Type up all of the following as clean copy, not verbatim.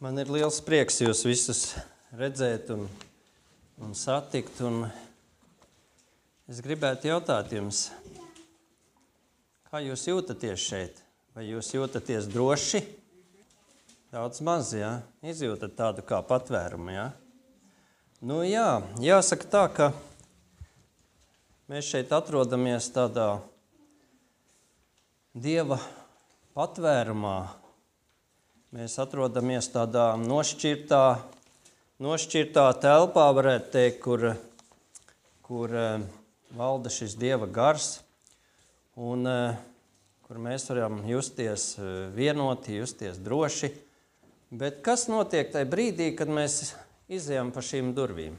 Man ir liels prieks jūs visus redzēt un satikt. Un es gribētu jautāt jums, kā jūs jūtaties šeit? Vai jūs jūtaties droši? Daudz maz, jā? Izjūtat tādu kā patvērumu, jā? Nu jā, jāsaka tā, ka mēs šeit atrodamies tādā Dieva patvērumā. Mēs atrodamies tādā nošķirtā telpā, varētu teikt, kur valda šis Dieva gars, un kur mēs varam justies vienoti, justies droši. Bet kas notiek tajā brīdī, kad mēs izejam pa šīm durvīm?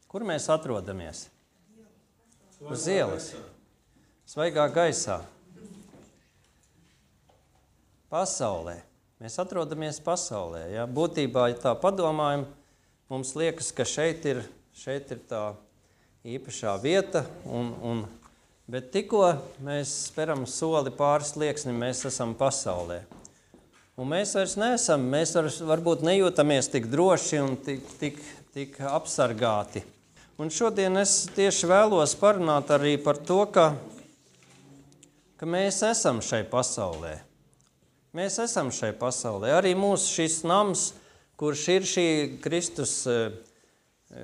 Kur mēs atrodamies? Uz ielas. Svaigā gaisā. Pasaulē. Mēs atrodamies pasaulē. Ja? Būtībā, ja tā padomājam, mums liekas, ka šeit ir tā īpašā vieta, bet tikko mēs speram soli pāri slieksnim, mēs esam pasaulē. Un mēs vairs neesam, mēs varbūt nejūtamies tik droši un tik apsargāti. Un šodien es tieši vēlos parunāt arī par to, ka mēs esam šai pasaulē. Mēs esam šai pasaulē. Arī mūsu šis nams, kurš ir šī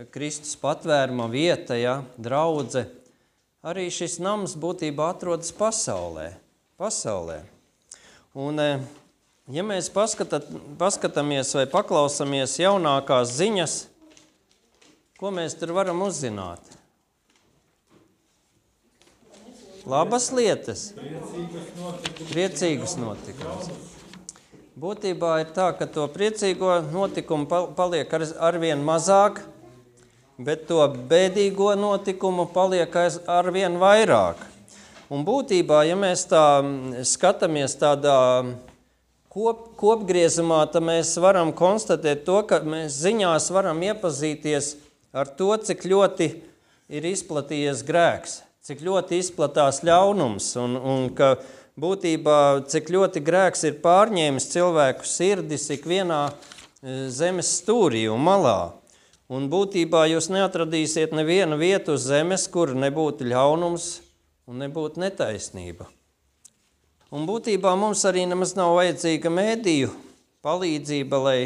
Kristus patvēruma vieta, ja, draudze, arī šis nams būtībā atrodas pasaulē. Un, ja mēs paskatāmies vai paklausamies jaunākās ziņas, ko mēs tur varam uzzināt? Labas lietas, priecīgus notikumus. Būtībā ir tā, ka to priecīgo notikumu paliek arvien mazāk, bet to bēdīgo notikumu paliek arvien vairāk. Un būtībā, ja mēs tā skatāmies tādā kopgriezumā, tad mēs varam konstatēt to, ka mēs ziņās varam iepazīties ar to, cik ļoti ir izplatījies grēks. Cik ļoti izplatās ļaunums un ka būtībā cik ļoti grēks ir pārņēmis cilvēku sirdis ikvienā zemes stūrī un malā. Un būtībā jūs neatradīsiet nevienu vietu uz zemes, kur nebūtu ļaunums un nebūtu netaisnība. Un būtībā mums arī nemaz nav vajadzīga mēdīju palīdzība, lai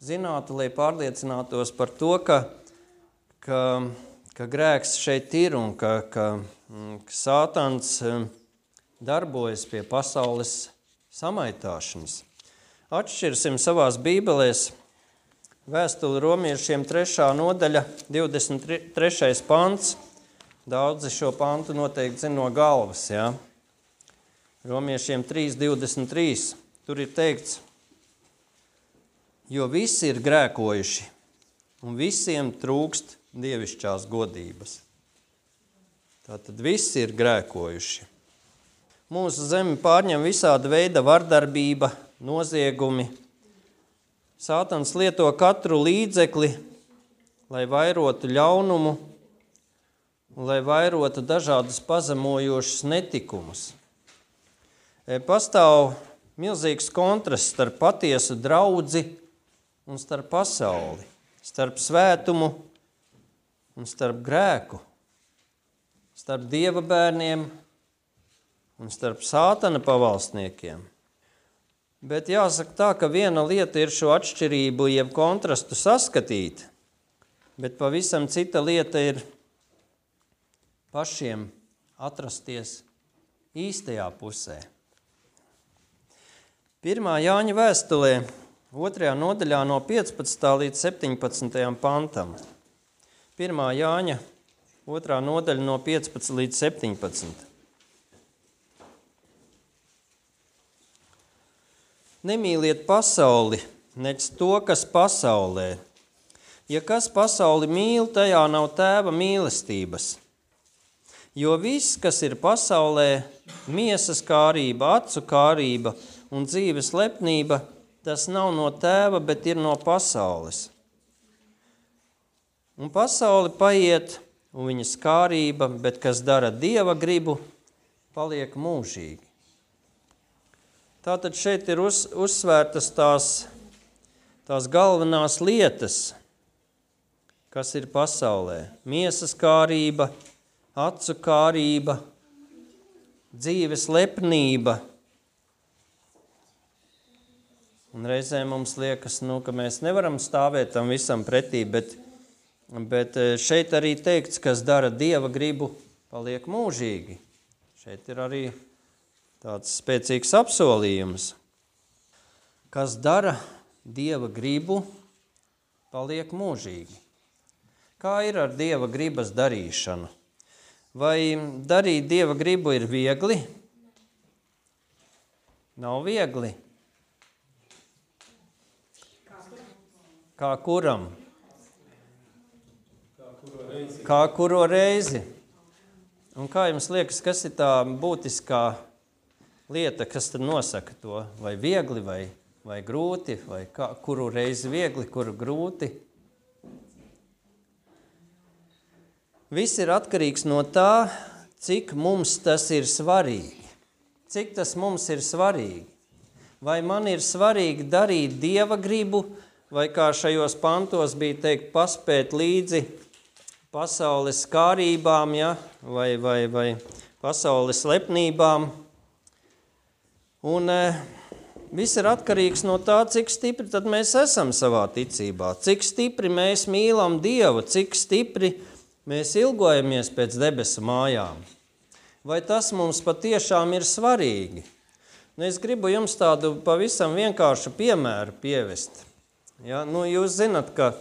zinātu, lai pārliecinātos par to, ka grēks šeit ir un ka Sātans darbojas pie pasaules samaitāšanas. Atšķirsim savās bībelēs vēstuli romiešiem 3. nodaļa, 23. pants. Daudzi šo pantu noteikti zina no galvas, jā. Romiešiem 3.23. Tur ir teikts, jo visi ir grēkojuši un visiem trūkst dievišķās godības. Tātad visi ir grēkojuši. Mūsu zemi pārņem visāda veida vardarbība, noziegumi. Sātans lieto katru līdzekli, lai vairotu ļaunumu, lai vairotu dažādus pazemojošus netikumus. Pastāv milzīgs kontrasts starp patiesu draudzi un starp pasauli, starp svētumu un starp grēku, starp Dieva bērniem un starp Sātana pavalstniekiem. Bet jāsaka tā, ka viena lieta ir šo atšķirību, jeb kontrastu saskatīt, bet pavisam cita lieta ir pašiem atrasties īstajā pusē. 1. Jāņa vēstulē, 2. nodaļā no 15. līdz 17. pantam. 1. Jāņa, 2. nodaļa no 15 līdz 17. Nemīliet pasauli, nec to, kas pasaulē. Ja kas pasauli mīl, tajā nav tēva mīlestības. Jo viss, kas ir pasaulē, miesas kārība, acu kārība un dzīves lepnība, tas nav no tēva, bet ir no pasaules. Un pasauli paiet, un viņas kārība, bet kas dara Dieva gribu, paliek mūžīgi. Tātad šeit ir uzsvērtas tās galvenās lietas, kas ir pasaulē. Miesas kārība, acu kārība, dzīves lepnība. Un reizēm mums liekas, ka mēs nevaram stāvēt tam visam pretī, bet šeit arī teikts, kas dara Dieva gribu, paliek mūžīgi. Šeit ir arī tāds spēcīgs apsolījums. Kas dara Dieva gribu, paliek mūžīgi. Kā ir ar Dieva gribas darīšanu? Vai darīt Dieva gribu ir viegli? Nav viegli. Kā kuram? Kā kuro reizi. Un kā jums liekas, kas ir tā būtiskā lieta, kas tad nosaka to? Vai viegli, vai grūti, vai kuru reizi viegli, kuru grūti? Viss ir atkarīgs no tā, cik mums tas ir svarīgi. Cik tas mums ir svarīgi. Vai man ir svarīgi darīt Dieva gribu, vai kā šajos pantos bija teikt, paspēt līdzi pasaules kārībām, ja? vai pasaules lepnībām. Un viss ir atkarīgs no tā, cik stipri tad mēs esam savā ticībā, cik stipri mēs mīlam Dievu, cik stipri mēs ilgojamies pēc debesu mājām. Vai tas mums patiešām ir svarīgi? Es gribu jums tādu pavisam vienkāršu piemēru pievest. Ja? Jūs zinat, ka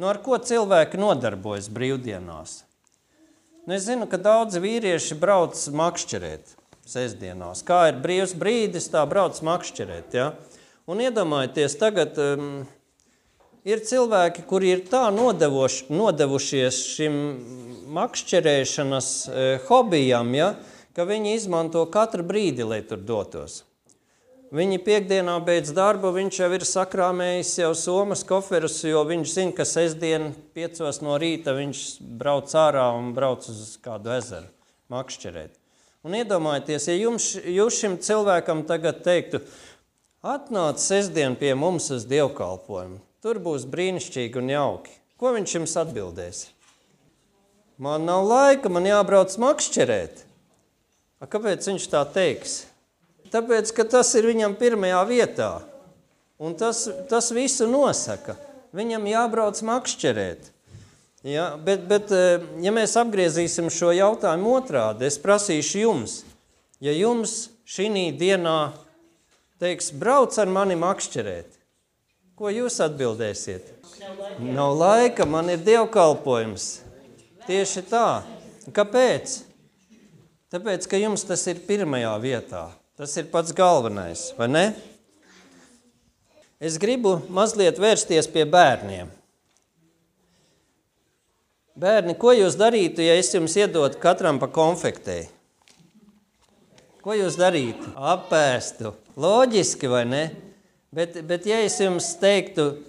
ar ko cilvēki nodarbojas brīvdienās? Es zinu, ka daudzi vīrieši brauc makšķerēt sestdienās. Kā ir brīvs brīdis, tā brauc makšķerēt. Ja? Un iedomājieties, tagad ir cilvēki, kuri ir tā nodevušies šim makšķerēšanas hobijam, ja? Ka viņi izmanto katru brīdi, lai tur dotos. Viņi piekdienā beidz darbu, viņš jau ir sakrāmējis jau somas koferus, jo viņš zina, ka sestdien 5 no rīta viņš brauc ārā un brauc uz kādu ezeru makšķerēt. Un iedomājieties, ja jūs šim cilvēkam tagad teiktu, atnāc sestdien pie mums uz dievkalpojumu, tur būs brīnišķīgi un jauki. Ko viņš jums atbildēs? Man nav laika, man jābrauc makšķerēt. Kāpēc viņš tā teiks? Tāpēc, ka tas ir viņam pirmajā vietā. Un tas visu nosaka. Viņam jābrauc makšķerēt. Ja, bet ja mēs apgriezīsim šo jautājumu otrādi, es prasīšu jums, ja jums šī dienā teiks, brauc ar mani makšķerēt, ko jūs atbildēsiet? Nav laika, man ir dievkalpojums. Tieši tā. Kāpēc? Tāpēc, ka jums tas ir pirmajā vietā. Tas ir pats galvenais, vai ne? Es gribu mazliet vērsties pie bērniem. Bērni, ko jūs darītu, ja es jums iedotu katram pa konfektei? Ko jūs darītu? Apēstu. Loģiski, vai ne? Bet ja es jums teiktu,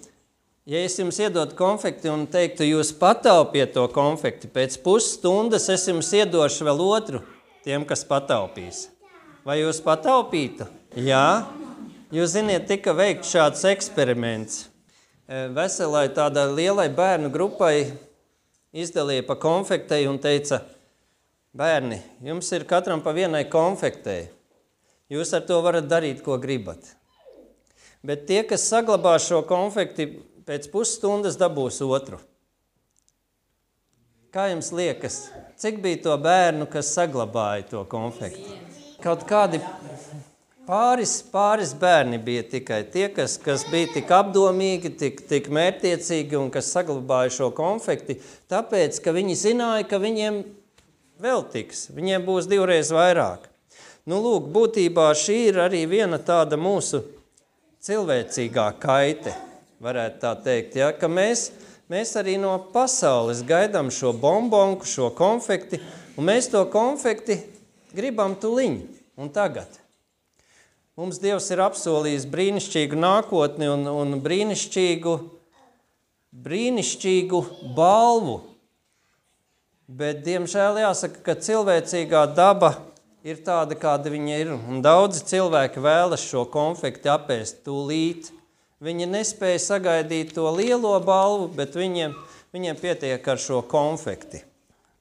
ja es jums iedotu konfekti un teiktu, jūs pataupiet to konfekti, pēc pusstundas es jums iedošu vēl otru tiem, kas pataupīs. Vai jūs pataupītu? Jā. Jūs ziniet, tika veikt šāds eksperiments. Veselai tādai lielai bērnu grupai izdalīja pa konfektei un teica, bērni, jums ir katram pa vienai konfektei. Jūs ar to varat darīt, ko gribat. Bet tie, kas saglabā šo konfekti, pēc pusstundas dabūs otru. Kā jums liekas, cik bija to bērnu, kas saglabāja to konfekti? Kaut kādi pāris bērni bija tikai tie, kas bija tik apdomīgi, tik mērķtiecīgi un kas saglabāja šo konfekti, tāpēc, ka viņi zināja, ka viņiem vēl tiks, viņiem būs 2 reizes vairāk. Lūk, būtībā šī ir arī viena tāda mūsu cilvēcīgā kaite, varētu tā teikt, ja? Ka mēs arī no pasaules gaidām šo bombonku, šo konfekti, un mēs to konfekti gribam tuliņ un tagad. Mums Dievs ir apsolījis brīnišķīgu nākotni un brīnišķīgu balvu. Bet, diemžēl, jāsaka, ka cilvēcīgā daba ir tāda, kāda viņa ir. Un daudzi cilvēki vēlas šo konfekti apēst tūlīt. Viņi nespēja sagaidīt to lielo balvu, bet viņiem pietiek ar šo konfekti.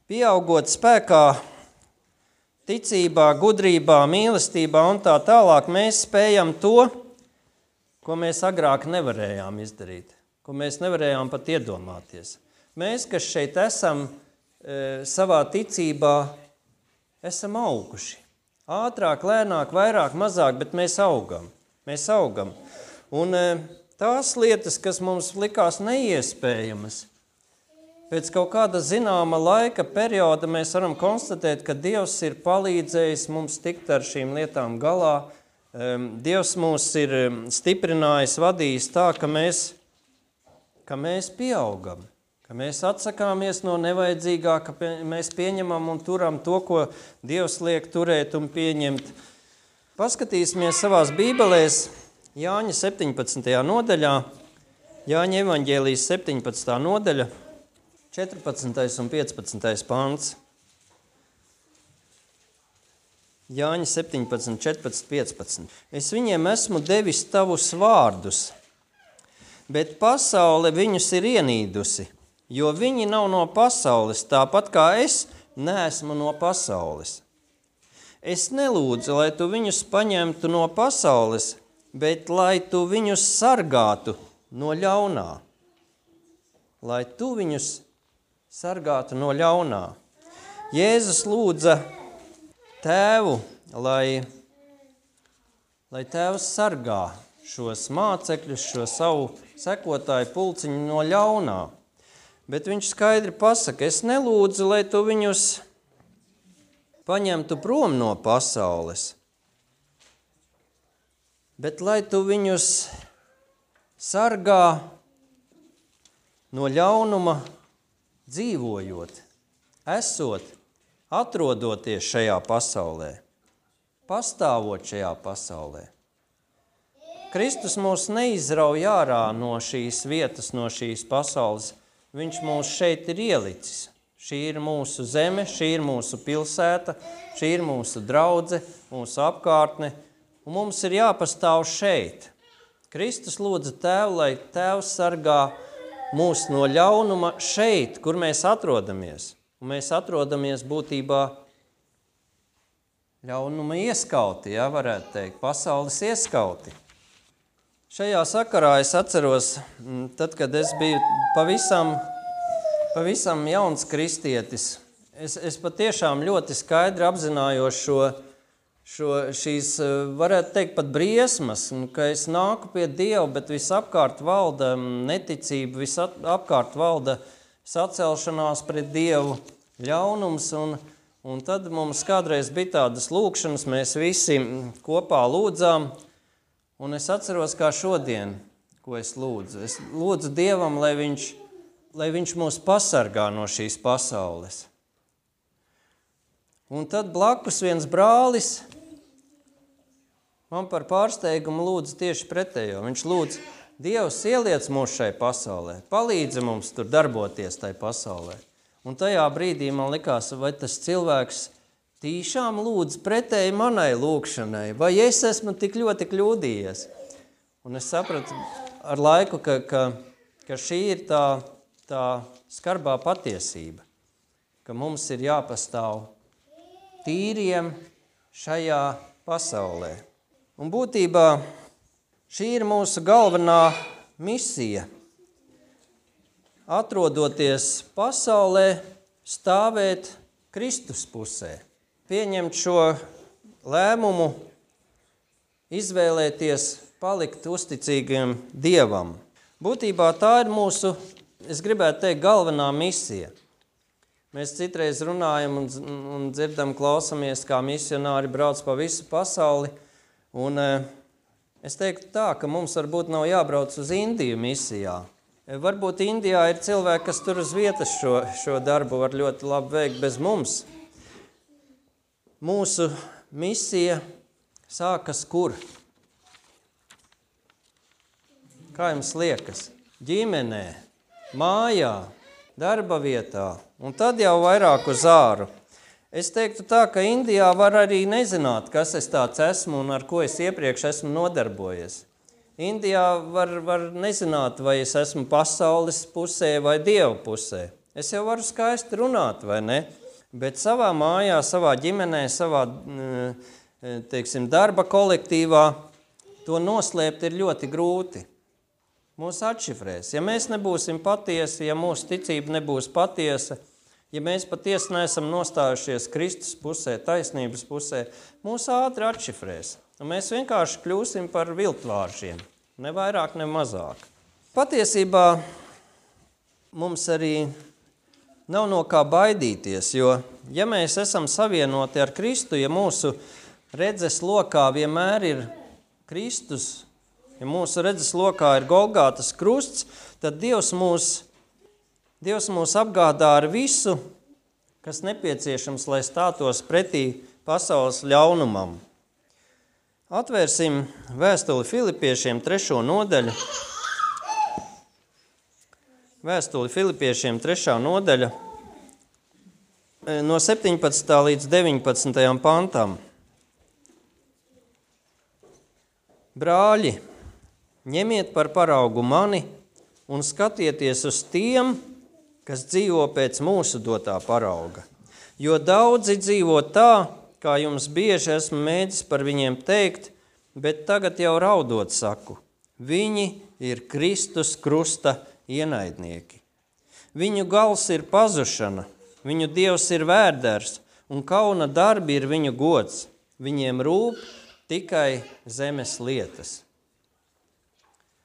Pieaugot spēkā, ticībā, gudrībā, mīlestībā un tā tālāk, mēs spējam to, ko mēs agrāk nevarējām izdarīt, ko mēs nevarējām pat iedomāties. Mēs, kas šeit esam, savā ticībā, esam auguši. Ātrāk, lēnāk, vairāk, mazāk, bet mēs augam. Mēs augam. Un tās lietas, kas mums likās neiespējamas, pēc kaut kāda zināma laika perioda mēs varam konstatēt, ka Dievs ir palīdzējis mums tikt ar šīm lietām galā. Dievs mūs ir stiprinājis, vadījis tā, ka mēs pieaugam, ka mēs atsakāmies no nevajadzīgā, ka mēs pieņemam un turam to, ko Dievs liek turēt un pieņemt. Paskatīsimies savās bībelēs Jāņa 17. nodaļā, Jāņa evaņģēlijas 17. nodaļa, 14. un 15. pants. Jāņa 17, 14, 15. Es viņiem esmu devis tavus vārdus, bet pasaule viņus ir ienīdusi, jo viņi nav no pasaules, tāpat kā es neesmu no pasaules. Es nelūdzu, lai tu viņus paņemtu no pasaules, bet lai tu viņus sargātu no ļaunā. Lai tu viņus sargātu no ļaunā. Jēzus lūdza Tēvu, lai Tēvs sargā šos mācekļus, šo savu sekotāju pulciņu no ļaunā. Bet viņš skaidri pasaka, es nelūdzu, lai tu viņus paņemtu prom no pasaules, bet lai tu viņus sargā no ļaunuma dzīvojot, esot, atrodoties šajā pasaulē, pastāvot šajā pasaulē. Kristus mūs neizrauj ārā no šīs vietas, no šīs pasaules. Viņš mūs šeit ir ielicis. Šī ir mūsu zeme, šī ir mūsu pilsēta, šī ir mūsu draudze, mūsu apkārtne, un mums ir jāpastāv šeit. Kristus lūdza Tēvu, lai Tēvs sargā mūs no ļaunuma šeit, kur mēs atrodamies. Un mēs atrodamies būtībā ļaunuma ieskauti, varētu teikt, pasaules ieskauti. Šajā sakarā es atceros, tad, kad es biju pavisam jauns kristietis, es patiešām ļoti skaidri apzinājos šīs, varētu teikt, pat briesmas, ka es nāku pie Dieva, bet visapkārt valda neticība, visapkārt valda sacelšanās pret Dievu, ļaunums, un tad mums kādreiz bija tādas lūkšanas, mēs visi kopā lūdzām, un es atceros kā šodien, ko es lūdzu. Es lūdzu Dievam, lai viņš mūs pasargā no šīs pasaules. Un tad blakus viens brālis man par pārsteigumu lūdzu tieši pretējo. Viņš lūdz, Dievs ieliec mūs šai pasaulē, palīdzi mums tur darboties tai pasaulē. Un tajā brīdī man likās, vai tas cilvēks tīšām lūdz pretēji manai lūkšanai, vai es esmu tik ļoti kļūdījies. Un es sapratu ar laiku, ka šī ir tā skarbā patiesība, ka mums ir jāpastāv tīriem šajā pasaulē. Un būtībā šī ir mūsu galvenā misija. Atrodoties pasaulē, stāvēt Kristus pusē. Pieņemt šo lēmumu, izvēlēties, palikt uzticīgiem Dievam. Būtībā tā ir mūsu, es gribētu teikt, galvenā misija. Mēs citreiz runājam un dzirdam, klausamies, kā misionāri brauc pa visu pasauli. Un es teiktu tā, ka mums varbūt nav jābrauc uz Indiju misijā. Varbūt Indijā ir cilvēki, kas tur uz vietas šo darbu var ļoti labi veikt bez mums. Mūsu misija sākas kur? Kā jums liekas? Ģimenē, mājā, darba vietā, un tad jau vairāk uz āru. Es teiktu tā, ka Indijā var arī nezināt, kas es tāds esmu un ar ko es iepriekš esmu nodarbojies. Indijā var nezināt, vai es esmu pasaules pusē vai Dieva pusē. Es jau varu skaisti runāt, vai ne? Bet savā mājā, savā ģimenē, savā, teiksim, darba kolektīvā to noslēpt ir ļoti grūti. Mūs atšifrēs. Ja mēs nebūsim patiesi, ja mūsu ticība nebūs patiesa, ja mēs patiesi neesam nostājušies Kristus pusē, taisnības pusē, mūs ātri atšifrēs. Un mēs vienkārši kļūsim par viltvāršiem, ne vairāk, ne mazāk. Patiesībā mums arī nav no kā baidīties, jo, ja mēs esam savienoti ar Kristu, ja mūsu redzes lokā vienmēr ir Kristus, ja mūsu redzes lokā ir Golgātas krusts, tad Dievs mūs apgādā ar visu, kas nepieciešams, lai stātos pretī pasaules ļaunumam. Atvērsim vēstuli Filipiešiem 3. nodaļu. Vēstuli Filipiešiem 3. nodaļa no 17. līdz 19. pantam. Brāļi, ņemiet par paraugu mani un skatieties uz tiem, kas dzīvo pēc mūsu dotā parauga. Jo daudzi dzīvo tā, kā jums bieži esmu mēģis par viņiem teikt, bet tagad jau raudot saku, viņi ir Kristus krusta ienaidnieki. Viņu gals ir pazušana, viņu dievs ir vērders, un kauna darbi ir viņu gods. Viņiem rūp tikai zemes lietas.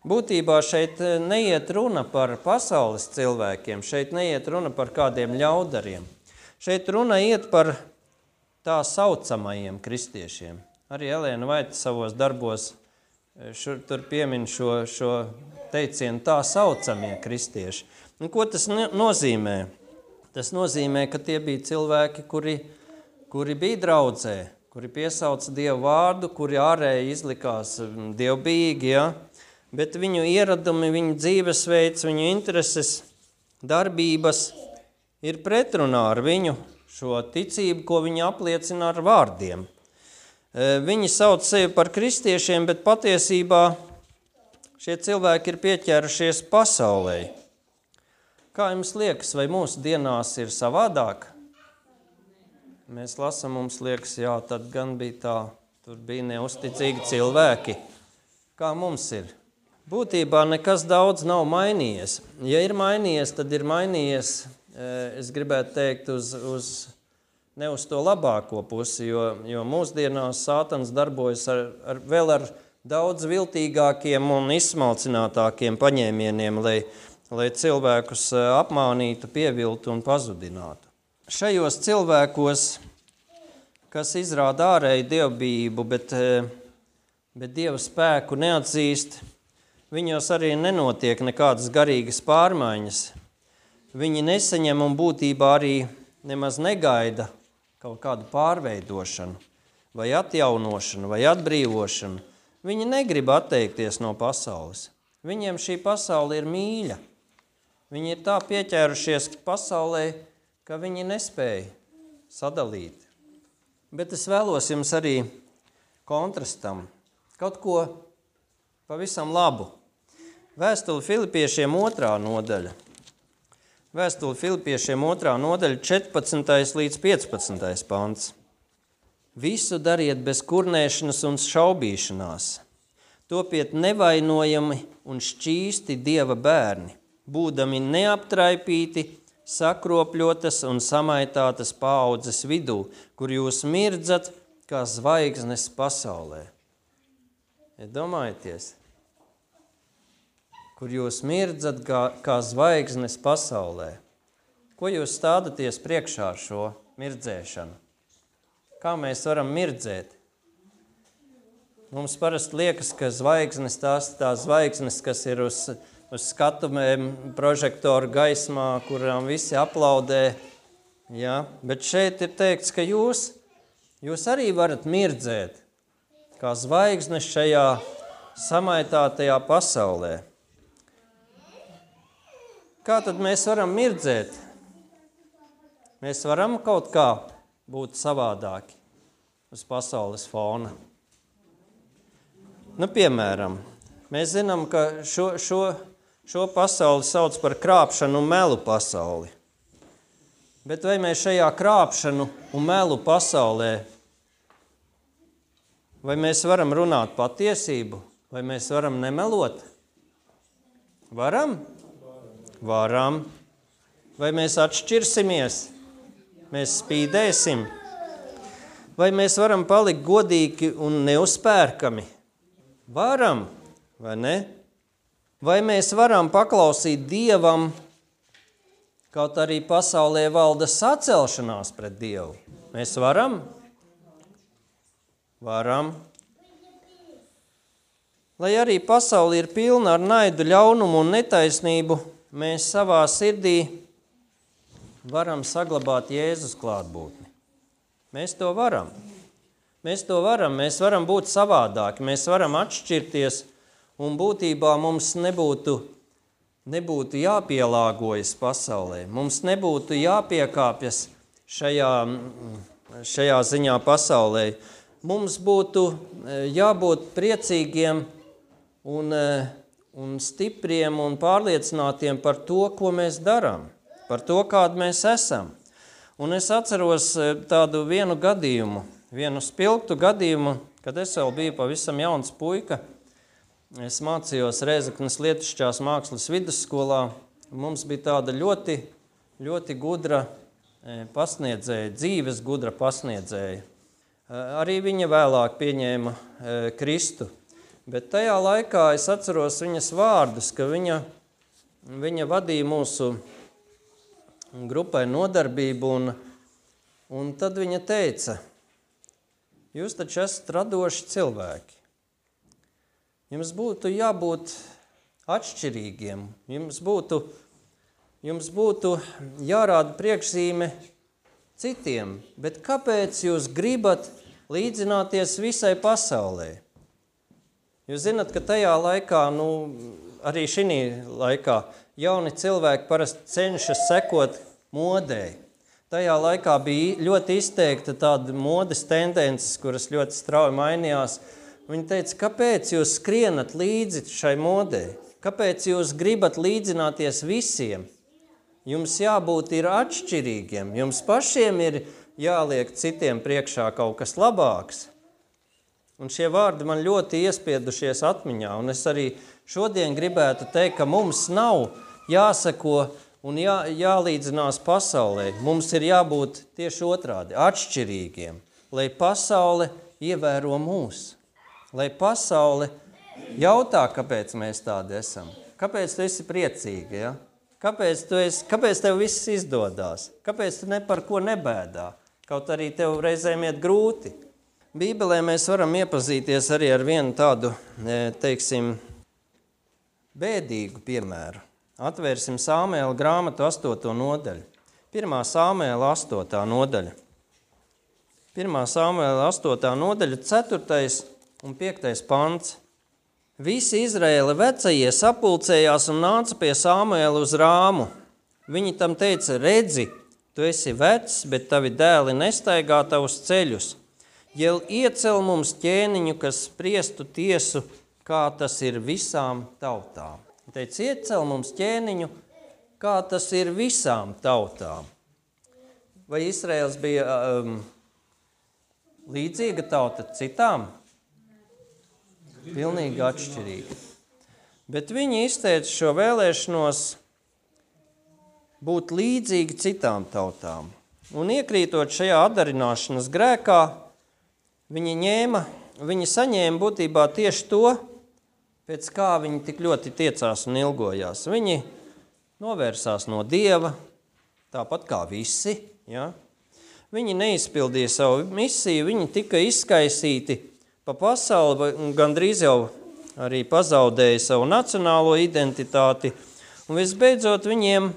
Būtībā šeit neiet runa par pasaules cilvēkiem, šeit neiet runa par kādiem ļaudariem. Šeit runa iet par tā saucamajiem kristiešiem. Arī Elēna Vaita savos darbos tur piemin šo teicienu tā saucamie kristieši. Un ko tas nozīmē? Tas nozīmē, ka tie bija cilvēki, kuri bija draudzē, kuri piesauca Dievu vārdu, kuri ārēji izlikās dievbijīgi, ja? Bet viņu ieradumi, viņu dzīvesveids, viņu intereses, darbības ir pretrunā ar viņu šo ticību, ko viņi apliecina ar vārdiem. Viņi sauc sevi par kristiešiem, bet patiesībā šie cilvēki ir pieķērušies pasaulē. Kā jums liekas, vai mūsu dienās ir savādāk? Mēs lasām, mums liekas, jā, tad gan bija tā, tur bija neusticīgi cilvēki. Kā mums ir? Būtībā nekas daudz nav mainījies. Ja ir mainījies, tad ir mainījies, es gribētu teikt, ne uz to labāko pusi, jo mūsdienās Sātans darbojas vēl ar daudz viltīgākiem un izsmalcinātākiem paņēmieniem, lai cilvēkus apmānītu, pieviltu un pazudinātu. Šajos cilvēkos, kas izrāda ārēju dievbijību, bet Dieva spēku neatzīst, viņos arī nenotiek nekādas garīgas pārmaiņas. Viņi nesaņem un būtībā arī nemaz negaida kaut kādu pārveidošanu, vai atjaunošanu, vai atbrīvošanu. Viņi negrib atteikties no pasaules. Viņiem šī pasaule ir mīļa. Viņi ir tā pieķērušies pasaulē, ka viņi nespēja sadalīt. Bet es vēlos jums arī kontrastam kaut ko pavisam labu. Vēstuli Filipiešiem 2. nodaļa. Vēstuli Filipiešiem 2. nodaļa 14. līdz 15. pants. Visu dariet bez kurnēšanas un šaubīšanās. Topiet nevainojami un šķīsti Dieva bērni, būdami neaptraipīti, sakropļotas un samaitātas paaudzes vidū, kur jūs mirdzat kā zvaigznes pasaulē. Iedomājieties, kur jūs mirdzat kā zvaigznes pasaulē. Ko jūs stādaties priekšā ar šo mirdzēšanu? Kā mēs varam mirdzēt? Mums parasti liekas, ka zvaigznes tās zvaigznes, kas ir uz skatumēm, prožektoru gaismā, kurām visi aplaudē. Ja? Bet šeit ir teikts, ka jūs arī varat mirdzēt, kā zvaigznes šajā samaitātajā pasaulē. Kā tad mēs varam mirdzēt? Mēs varam kaut kā būt savādāki uz pasaules fona. Piemēram, Mēs zinām, ka šo pasauli sauc par krāpšanu un melu pasauli. Bet vai mēs šajā krāpšanu un melu pasaulē, vai mēs varam runāt patiesību, vai mēs varam nemelot? Varam? Varam. Vai mēs atšķirsimies? Mēs spīdēsim? Vai mēs varam palikt godīgi un neuzpērkami? Varam, vai ne? Vai mēs varam paklausīt Dievam, kaut arī pasaulē valda sacelšanās pret Dievu? Mēs varam? Varam. Lai arī pasaule ir pilna ar naidu, ļaunumu un netaisnību, mēs savā sirdī varam saglabāt Jēzus klātbūtni. Mēs to varam. Mēs varam būt savādāki, mēs varam atšķirties, un būtībā mums nebūtu jāpielāgojas pasaulē. Mums nebūtu jāpiekāpjas šajā ziņā pasaulē. Mums būtu jābūt priecīgiem un stipriem un pārliecinātiem par to, ko mēs darām, par to, kādi mēs esam. Un es atceros tādu vienu spilgtu gadījumu, kad es vēl biju pavisam jauns puika. Es mācījos Rēzeknes Lietišķās mākslas vidusskolā. Mums bija tāda ļoti, ļoti gudra pasniedzēja, dzīves gudra pasniedzēja. Arī viņa vēlāk pieņēma Kristu. Bet tajā laikā es atceros viņas vārdus, ka viņa vadīja mūsu grupai nodarbību, un tad viņa teica, jūs taču esat radoši cilvēki. Jums būtu jābūt atšķirīgiem, jums būtu jārāda priekšzīme citiem, bet kāpēc jūs gribat līdzināties visai pasaulē? Jūs zināt, ka tajā laikā, arī šī laikā, jauni cilvēki parasti cenšas sekot modei. Tajā laikā bija ļoti izteikta tāda modes tendences, kuras ļoti strauji mainījās. Viņi teica, kāpēc jūs skrienat līdzi šai modei? Kāpēc jūs gribat līdzināties visiem? Jums jābūt ir atšķirīgiem. Jums pašiem ir jāliek citiem priekšā kaut kas labāks. Un šie vārdi man ļoti iespiedušies atmiņā. Un es arī šodien gribētu teikt, ka mums nav jāsako un jālīdzinās pasaulē. Mums ir jābūt tieši otrādi, atšķirīgiem, lai pasaule ievēro mūs. Lai pasaule jautā, kāpēc mēs tādi esam. Kāpēc tu esi priecīga, ja? Kāpēc tev viss izdodās? Kāpēc tu ne par ko nebēdā? Kaut arī tev reizēm iet grūti. Bībelē mēs varam iepazīties arī ar vienu tādu, bēdīgu piemēru. Atvērsim Sāmuēla grāmatu 8. nodaļu. 1. Sāmuēla 8. nodaļa. 1. Sāmuēla 8. nodaļa, 4. un 5. pants. Visi Izraēla vecajie sapulcējās un nāca pie Sāmuēla uz Rāmu. Viņi tam teica, redzi, tu esi vecs, bet tavi dēli nestaigā tavus ceļus. Jel iecel mums ķēniņu, kas spriestu tiesu, kā tas ir visām tautām. Teica, iecel mums ķēniņu, kā tas ir visām tautām. Vai Izraels bija līdzīga tauta citām? Pilnīgi atšķirīga. Bet viņi izteica šo vēlēšanos būt līdzīgi citām tautām. Un iekrītot šajā atdarināšanas grēkā, viņi saņēma būtībā tieši to, pēc kā viņi tik ļoti tiecās un ilgojās. Viņi novērsās no Dieva, tāpat kā visi. Ja? Viņi neizpildīja savu misiju, viņi tika izskaisīti pa pasauli, gandrīz jau arī pazaudēja savu nacionālo identitāti. Un visbeidzot viņiem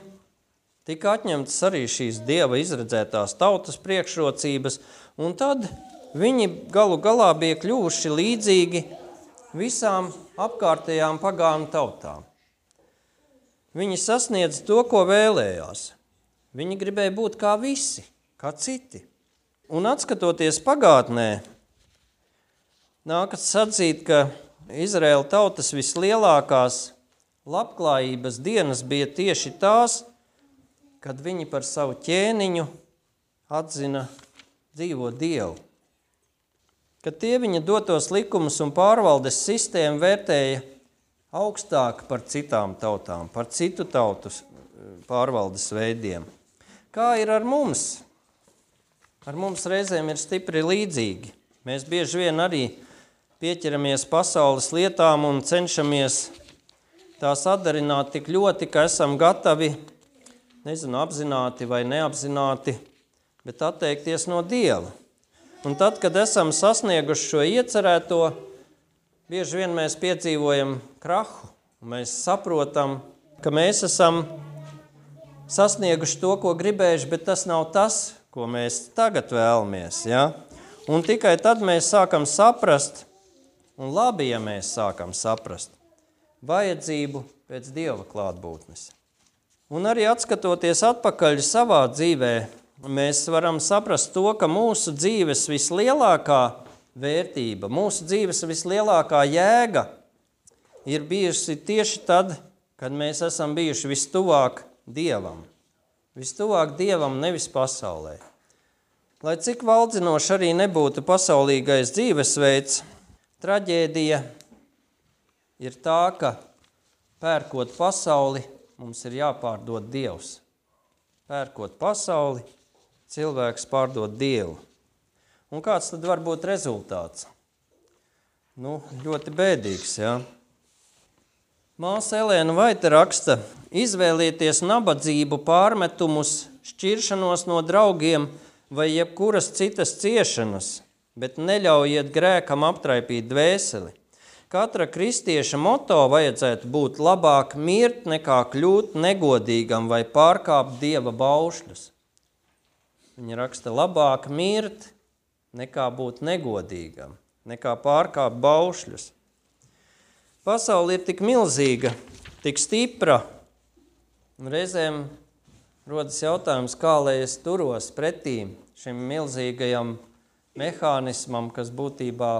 tika atņemtas arī šīs Dieva izredzētās tautas priekšrocības, un tad viņi galu galā bija kļuvuši līdzīgi visām apkārtējām pagānu tautām. Viņi sasniedz to, ko vēlējās. Viņi gribēja būt kā visi, kā citi. Un atskatoties pagātnē, nākas atzīt, ka Izraēla tautas vislielākās labklājības dienas bija tieši tās, kad viņi par savu ķēniņu atzina dzīvo Dievu. Kad tie viņa dotos likumus un pārvaldes sistēmu vērtēja augstāk par citām tautām, par citu tautu pārvaldes veidiem. Kā ir ar mums? Ar mums reizēm ir stipri līdzīgi. Mēs bieži vien arī pieķeramies pasaules lietām un cenšamies tās atdarināt tik ļoti, ka esam gatavi, apzināti vai neapzināti, bet atteikties no Dieva. Un tad, kad esam sasnieguši šo iecerēto, bieži vien mēs piedzīvojam krahu. Mēs saprotam, ka mēs esam sasnieguši to, ko gribējuši, bet tas nav tas, ko mēs tagad vēlamies. Ja? Un tikai tad mēs sākam saprast, un labi, ja mēs sākam saprast, vajadzību pēc Dieva klātbūtnes. Un arī atskatoties atpakaļ savā dzīvē, mēs varam saprast to, ka mūsu dzīves vislielākā vērtība, mūsu dzīves vislielākā jēga ir bijusi tieši tad, kad mēs esam bijuši vistuvāk Dievam. Vistuvāk Dievam, nevis pasaulē. Lai cik valdzinoši arī nebūtu pasaulīgais dzīvesveids, traģēdija ir tā, ka pērkot pasauli, mums ir jāpārdod Dievs. Pērkot pasauli, cilvēks pārdod Dievu. Un kāds tad var būt rezultāts? Ļoti bēdīgs, jā. Māsa Elēna Vaita raksta, izvēlieties nabadzību, pārmetumus, šķiršanos no draugiem vai jebkuras citas ciešanas, bet neļaujiet grēkam aptraipīt dvēseli. Katra kristieša moto vajadzētu būt labāk mirt, nekā kļūt negodīgam vai pārkāpt Dieva baušļus. Viņa raksta, labāk mirt, nekā būt negodīgam, nekā pārkāpt baušļus. Pasaule ir tik milzīga, tik stipra, un reizēm rodas jautājums, kā lai es turos pretī šim milzīgajam mehānismam, kas būtībā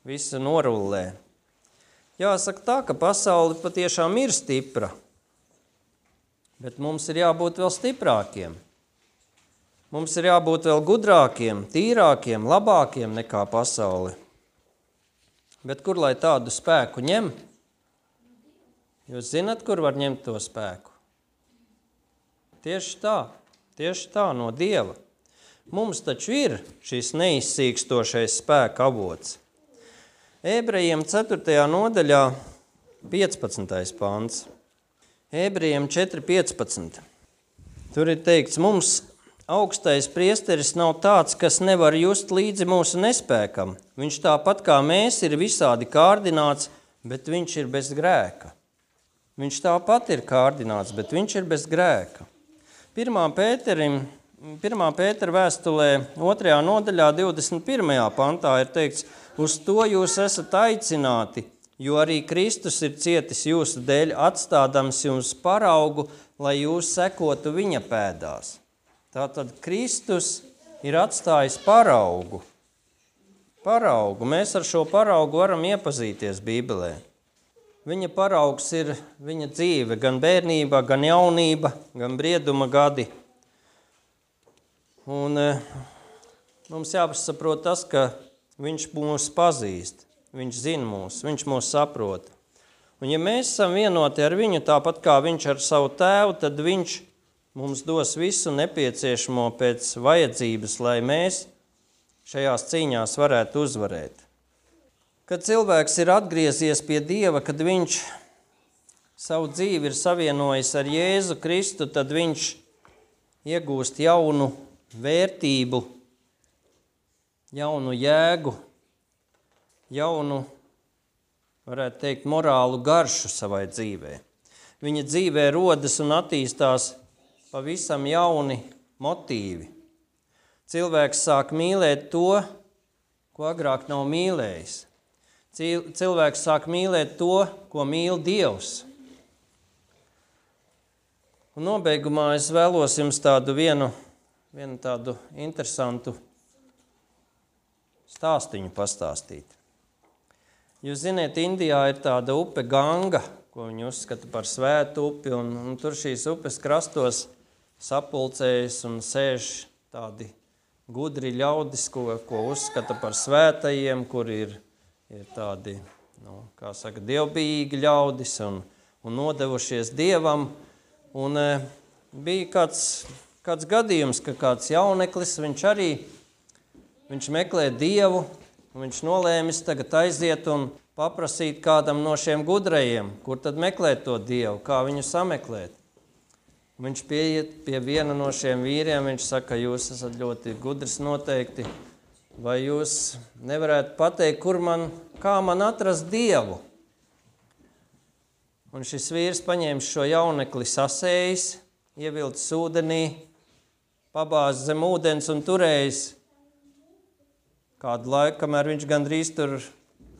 visu norullē. Jāsaka tā, ka pasaule patiešām ir stipra, bet mums ir jābūt vēl stiprākiem. Mums ir jābūt vēl gudrākiem, tīrākiem, labākiem nekā pasaule. Bet kur lai tādu spēku ņem? Jūs zinat, kur var ņemt to spēku? Tieši tā, no Dieva. Mums taču ir šis neizsīkstošais spēka avots. Ebrejiem 4. nodaļā 15. pants. Ebrejiem 4.15. Tur ir teikts, mums augstais priesteris nav tāds, kas nevar just līdzi mūsu nespēkam. Viņš tāpat kā mēs ir visādi kārdināts, bet viņš ir bez grēka. Viņš tāpat ir kārdināts, bet viņš ir bez grēka. 1. Pētera vēstulē 2. nodaļā 21. pantā ir teikts, uz to jūs esat aicināti, jo arī Kristus ir cietis jūsu dēļ, atstādams jums paraugu, lai jūs sekotu viņa pēdās. Tātad Kristus ir atstājis paraugu. Mēs ar šo paraugu varam iepazīties Bībelē. Viņa paraugs ir viņa dzīve, gan bērnība, gan jaunība, gan brieduma gadi. Un mums jāsaprot tas, ka viņš mūs pazīst, viņš zina mūs, viņš mūs saprot. Un ja mēs esam vienoti ar viņu, tāpat kā viņš ar savu tēvu, tad viņš mums dos visu nepieciešamo pēc vajadzības, lai mēs šajās cīņās varētu uzvarēt. Kad cilvēks ir atgriezies pie Dieva, kad viņš savu dzīvi ir savienojis ar Jēzu Kristu, tad viņš iegūst jaunu vērtību, jaunu jēgu, jaunu, varētu teikt, morālu garšu savai dzīvē. Viņa dzīvē rodas un attīstās pavisam jauni motīvi. Cilvēks sāk mīlēt to, ko agrāk nav mīlējis. Cilvēks sāk mīlēt to, ko mīl Dievs. Un nobeigumā es vēlos jums vienu tādu interesantu stāstiņu pastāstīt. Jūs ziniet, Indijā ir tāda upe Ganga, ko viņi uzskata par svētu upi, un tur šīs upes krastos sapulcējas un sēž tādi gudri ļaudis, ko uzskata par svētajiem, kuri ir tādi, kā saka, dievbijīgi ļaudis un nodevušies Dievam. Un bija kāds gadījums, ka kāds jauneklis, viņš meklē Dievu, un viņš nolēmis tagad aiziet un paprasīt kādam no šiem gudrajiem, kur tad meklēt to Dievu, kā viņu sameklēt. Viņš pieiet pie viena no šiem vīriem, viņš saka, jūs esat ļoti gudrs noteikti, vai jūs nevarētu pateikt, kā man atrast Dievu? Un šis vīrs paņēma šo jaunekli sasējis, ievilcis ūdenī, pabāz zem ūdens un turējis kādu laiku, kamēr viņš gandrīz tur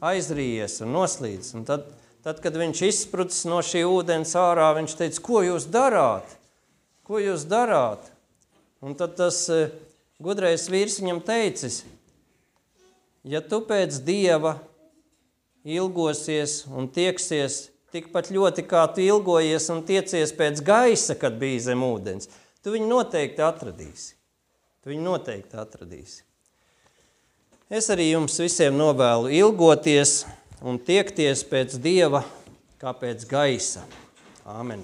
aizrījies un noslīdis. Un tad, kad viņš izsprucis no šī ūdens ārā, viņš teica, ko jūs darāt? Ko jūs darāt? Un tad tas gudrais vīrs viņam teicis, ja tu pēc Dieva ilgosies un tieksies tikpat ļoti, kā tu ilgojies un tiecies pēc gaisa, kad bija zem ūdens, tu viņu noteikti atradīsi. Es arī jums visiem novēlu ilgoties un tiekties pēc Dieva kā pēc gaisa. Āmen.